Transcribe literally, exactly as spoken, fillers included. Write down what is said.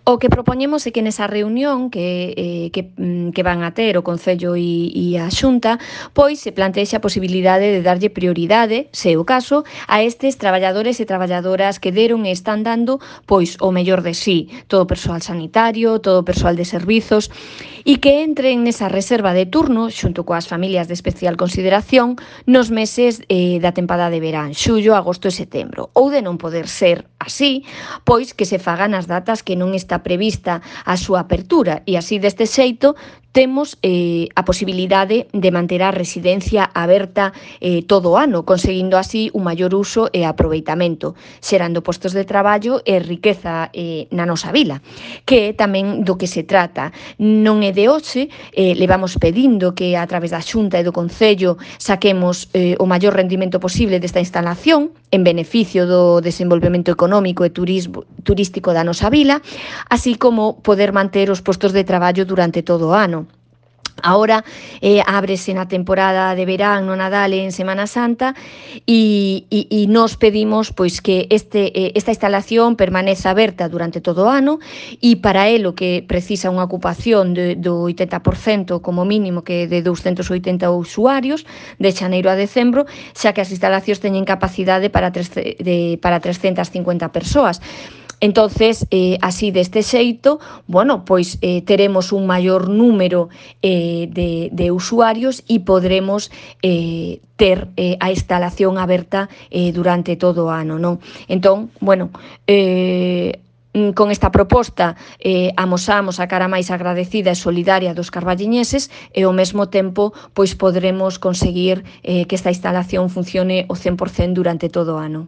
O que propoñemos é que nesa reunión que, eh, que, que van a ter o Concello e, e a Xunta, pois se plantexe a posibilidade de darlle prioridade, se é o caso, a estes traballadores e traballadoras que deron e están dando pois o mellor de sí, todo o persoal sanitario, todo o persoal de servizos, e que entren nesa reserva de turno xunto coas familias de especial consideración nos meses eh, da tempada de verán, xullo, agosto e setembro. Ou de non poder ser así, pois que se fagan as datas que non está prevista a súa apertura e así deste xeito temos eh, a posibilidade de manter a residencia aberta eh, todo o ano, conseguindo así un maior uso e aproveitamento, xerando postos de traballo e riqueza eh, na nosa vila, que é tamén do que se trata. Non é de hoxe, eh, levamos pedindo que a través da Xunta e do Concello saquemos eh, o maior rendimento posible desta instalación en beneficio do desenvolvemento económico e turismo, turístico da nosa vila, así como poder manter os postos de traballo durante todo o ano. Ahora eh, ábrese na temporada de verán, no Nadal e en Semana Santa e, e, e nos pedimos pois que este, eh, esta instalación permaneza aberta durante todo o ano e para elo que precisa unha ocupación de, do oitenta por cento como mínimo, que de douscentos oitenta usuarios de xaneiro a decembro, xa que as instalacións teñen capacidade para, tres, de, para trescentas cincuenta persoas. Entonces, eh, así deste xeito, bueno, pois eh, teremos un maior número eh, de, de usuarios e podremos eh, ter eh, a instalación aberta eh, durante todo o ano, non? Entón, bueno, eh, con esta proposta eh, amosamos a cara máis agradecida e solidaria dos carballiñeses e ao mesmo tempo pois podremos conseguir eh, que esta instalación funcione o cen por cento durante todo o ano.